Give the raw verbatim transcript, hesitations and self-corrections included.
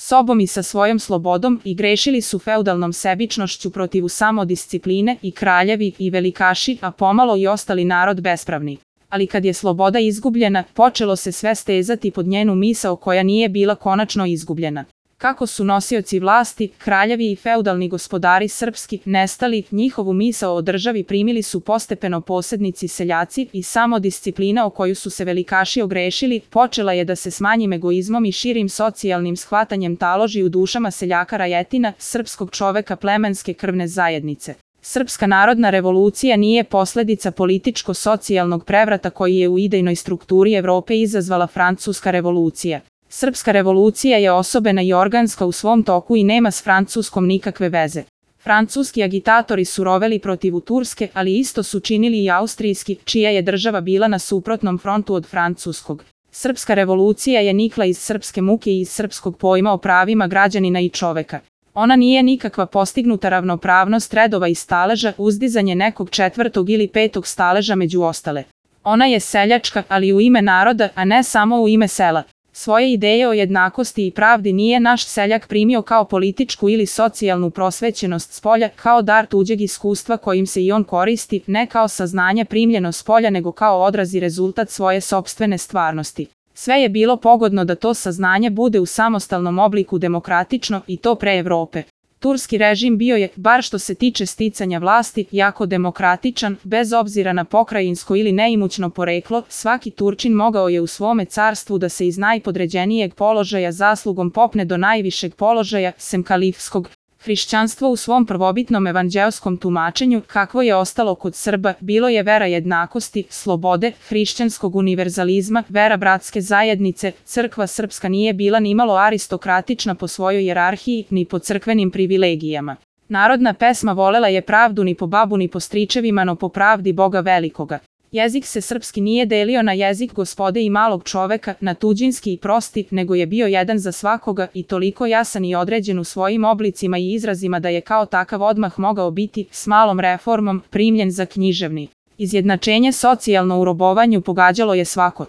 sobom i sa svojom slobodom i grešili su feudalnom sebičnošću protiv samodiscipline i kraljevi i velikaši, a pomalo i ostali narod bespravni. Ali kad je sloboda izgubljena, počelo se sve stezati pod njenu misao koja nije bila konačno izgubljena. Kako su nosioci vlasti, kraljevi i feudalni gospodari srpski, nestali, njihovu misao o državi primili su postepeno posednici seljaci i samodisciplina o koju su se velikaši ogrešili, počela je da se s manjim egoizmom i širim socijalnim shvatanjem taloži u dušama seljaka rajetina, srpskog čoveka plemenske krvne zajednice. Srpska narodna revolucija nije posledica političko-socijalnog prevrata koji je u idejnoj strukturi Evrope izazvala Francuska revolucija. Srpska revolucija je osobena i organska u svom toku i nema s Francuskom nikakve veze. Francuski agitatori su roveli protiv Turske, ali isto su činili i austrijski, čija je država bila na suprotnom frontu od francuskog. Srpska revolucija je nikla iz srpske muke i iz srpskog pojma o pravima građanina i čoveka. Ona nije nikakva postignuta ravnopravnost redova i staleža, uzdizanje nekog četvrtog ili petog staleža među ostale. Ona je seljačka, ali u ime naroda, a ne samo u ime sela. Svoje ideje o jednakosti i pravdi nije naš seljak primio kao političku ili socijalnu prosvećenost spolja, kao dar tuđeg iskustva kojim se i on koristi, ne kao saznanje primljeno spolja nego kao odraz i rezultat svoje sopstvene stvarnosti. Sve je bilo pogodno da to saznanje bude u samostalnom obliku demokratično i to pre Evrope. Turski režim bio je, bar što se tiče sticanja vlasti, jako demokratičan, bez obzira na pokrajinsko ili neimućno poreklo, svaki Turčin mogao je u svome carstvu da se iz najpodređenijeg položaja zaslugom popne do najvišeg položaja, sem kalifskog. Hrišćanstvo u svom prvobitnom evanđeoskom tumačenju, kakvo je ostalo kod Srba, bilo je vera jednakosti, slobode, hrišćanskog univerzalizma, vera bratske zajednice. Crkva srpska nije bila nimalo aristokratična po svojoj hijerarhiji, ni po crkvenim privilegijama. Narodna pesma volela je pravdu ni po babu ni po stričevima, no po pravdi Boga velikoga. Jezik se srpski nije delio na jezik gospode i malog čoveka, na tuđinski i prosti, nego je bio jedan za svakoga i toliko jasan i određen u svojim oblicima i izrazima da je kao takav odmah mogao biti, s malom reformom, primljen za književni. Izjednačenje socijalno u robovanju pogađalo je svako.